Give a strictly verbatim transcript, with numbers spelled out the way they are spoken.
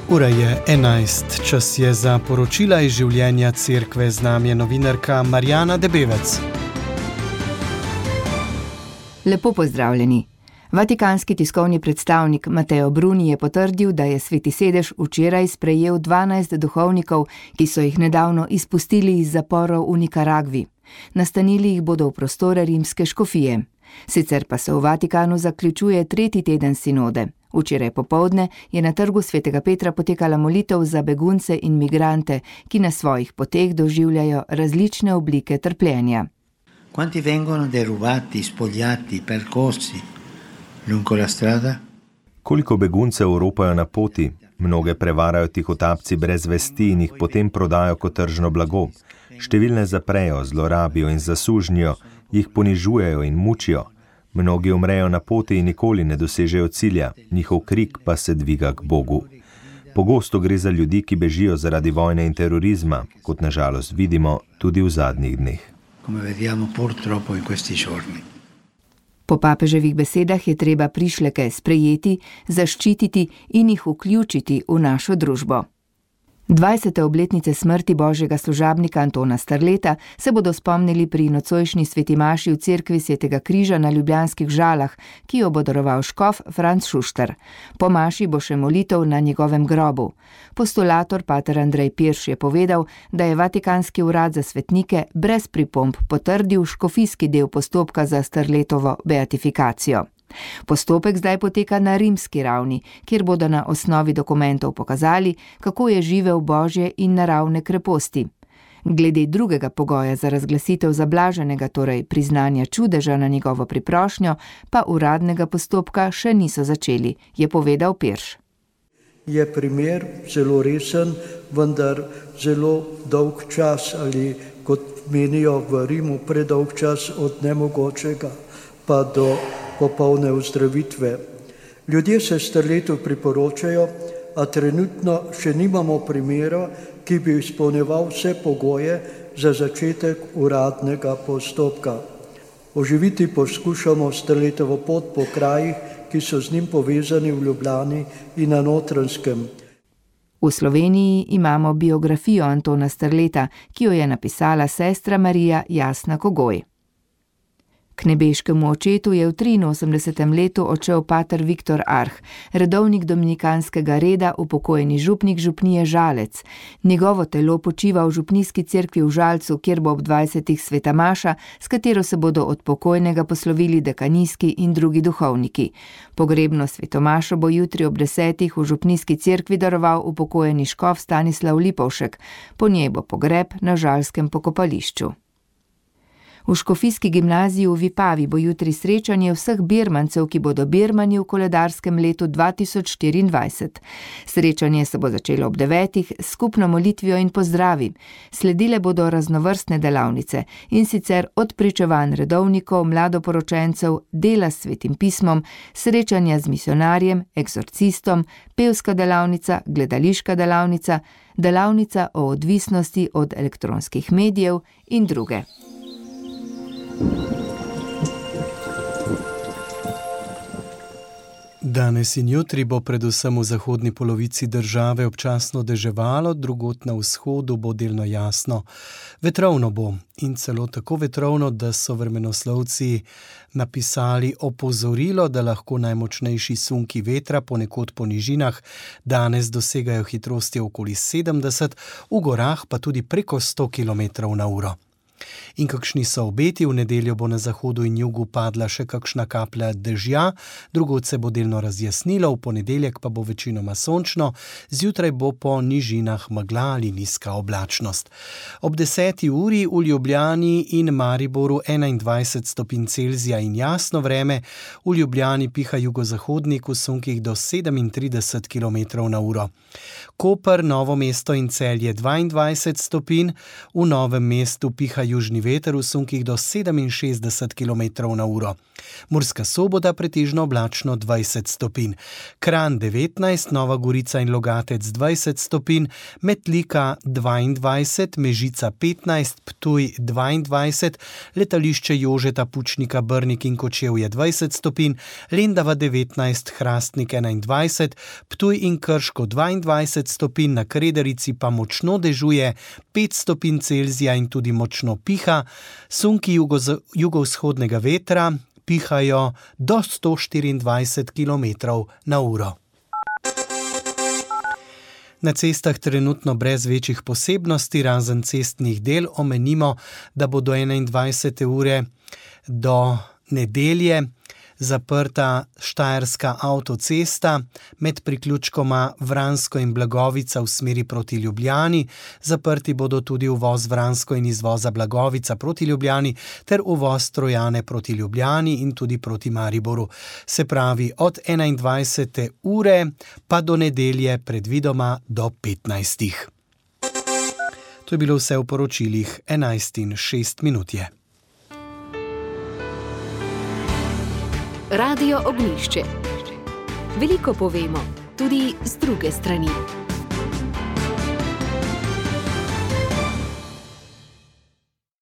Ura je enajst, čas je za poročila iz življenja cerkve, z nami je novinarka Marjana Debevec. Lepo pozdravljeni. Vatikanski tiskovni predstavnik Matteo Bruni je potrdil, da je Sveti sedež včeraj sprejel dvanajst duhovnikov, ki so jih nedavno izpustili iz zaporov v Nikaragvi. Nastanili jih bodo v prostore rimske škofije. Sicer pa se v Vatikanu zaključuje tretji teden sinode. Včeraj popoldne je na trgu Svetega Petra potekala molitev za begunce in migrante, ki na svojih poteh doživljajo različne oblike trpljenja. Quanti vengono derubati, spogliati, percorsi lungo la strada? Koliko beguncev ropajo na poti? Mnoge prevarajo tihotapci brez vesti in jih potem prodajo kot tržno blago. Številne zaprejo, zlorabijo in zasužnjijo, jih ponižujejo in mučijo. Mnogi umrejo na poti in nikoli ne dosežejo cilja, njihov krik pa se dviga k Bogu. Pogosto gre za ljudi, ki bežijo zaradi vojne in terorizma, kot nažalost vidimo tudi v zadnjih dneh. Po papeževih besedah je treba prišleke sprejeti, zaščititi in jih vključiti v našo družbo. dvajsete obletnice smrti božjega služabnika Antona Strleta se bodo spomnili pri nocojšnji sveti maši v cerkvi Svetega križa na Ljubljanskih Žalah, ki jo bo daroval škof Franc Šuštar. Po maši bo še molitev na njegovem grobu. Postulator pater Andrej Pirš je povedal, da je Vatikanski urad za svetnike brez pripomb potrdil škofijski del postopka za Strletovo beatifikacijo. Postopek zdaj poteka na rimski ravni, kjer bodo na osnovi dokumentov pokazali, kako je živel božje in naravne kreposti. Glede drugega pogoja za razglasitev zablaženega, torej priznanja čudeža na njegovo priprošnjo, pa uradnega postopka še niso začeli, je povedal Pirš. Je primer zelo resen, vendar zelo dolg čas ali, kot menijo v Rimu, predolg čas od nemogočega pa do popolne ozdravitve. Ljudje se Strletu priporočajo, a trenutno še nimamo primera, ki bi izpolnjeval vse pogoje za začetek uradnega postopka. Oživiti poskušamo Strletovo pot po krajih, ki so z njim povezani v Ljubljani in na Notranjskem. V Sloveniji imamo biografijo Antona Strleta, ki jo je napisala sestra Marija Jasna Kogoj. K nebeškemu očetu je v triinosemdesetem letu odšel pater Viktor Arh, redovnik dominikanskega reda, upokojeni župnik župnije Žalec. Njegovo telo počiva v župnijski cerkvi v Žalcu, kjer bo ob dvajsetih sveta maša, s katero se bodo od pokojnega poslovili dekanijski in drugi duhovniki. Pogrebno svetomašo bo jutri ob desetih v župnijski cerkvi daroval upokojeni škof Stanislav Lipovšek. Po njej bo pogreb na žalskem pokopališču. V škofijski gimnaziji v Vipavi bo jutri srečanje vseh birmancev, ki bodo birmani v koledarskem letu dva tisoč štiriindvajset. Srečanje se bo začelo ob devetih s skupno molitvijo in pozdravi. Sledile bodo raznovrstne delavnice, in sicer od pričevanj redovnikov, mladoporočencev, dela s svetim pismom, srečanja z misionarjem, eksorcistom, pevska delavnica, gledališka delavnica, delavnica o odvisnosti od elektronskih medijev in druge. Danes in jutri bo predvsem v zahodni polovici države občasno deževalo, drugod na vzhodu bo delno jasno. Vetrovno bo in celo tako vetrovno, da so vremenoslovci napisali opozorilo, da lahko najmočnejši sunki vetra ponekod po nižinah danes dosegajo hitrosti okoli sedemdeset, v gorah pa tudi preko sto kilometrov na uro. In kakšni so obeti? V nedeljo bo na zahodu in jugu padla še kakšna kaplja dežja, drugod se bo delno razjasnilo, v ponedeljek pa bo večinoma sončno, zjutraj bo po nižinah megla ali nizka oblačnost. Ob deseti uri v Ljubljani in Mariboru enaindvajset stopinj Celzija in jasno vreme, v Ljubljani piha jugozahodnik v sunkih do sedemintrideset kilometrov na uro. Koper, Novo mesto in Celje dvaindvajset stopinj, v Novem mestu piha južni veter v sunkih do sedeminšestdeset kilometrov na uro. Murska Sobota pretežno oblačno dvajset stopinj, Kranj devetnajst, Nova Gorica in Logatec dvajset stopinj, Metlika dvaindvajset, Mežica petnajst, Ptuj dvaindvajset, letališče Jožeta Pučnika Brnik in Kočevje dvajset stopinj, Lendava devetnajst, Hrastnik enaindvajset, Ptuj in Krško dvaindvajset stopinj, na Krederici pa močno dežuje pet stopinj Celzija in tudi močno piha, sunki jugo, jugovzhodnega vetra pihajo do sto štiriindvajset kilometrov na uro. Na cestah trenutno brez večjih posebnosti, razen cestnih del, omenimo, da bo do enaindvajsete ure do nedelje zaprta Štajerska avtocesta med priključkoma Vransko in Blagovica v smeri proti Ljubljani. Zaprti bodo tudi uvoz Vransko in izvoza Blagovica proti Ljubljani ter uvoz Trojane proti Ljubljani in tudi proti Mariboru. Se pravi od enaindvajsete ure pa do nedelje predvidoma do petnajstih. To je bilo vse v poročilih enajst in šest minut je. Radio Ognjišče. Veliko povemo, tudi z druge strani.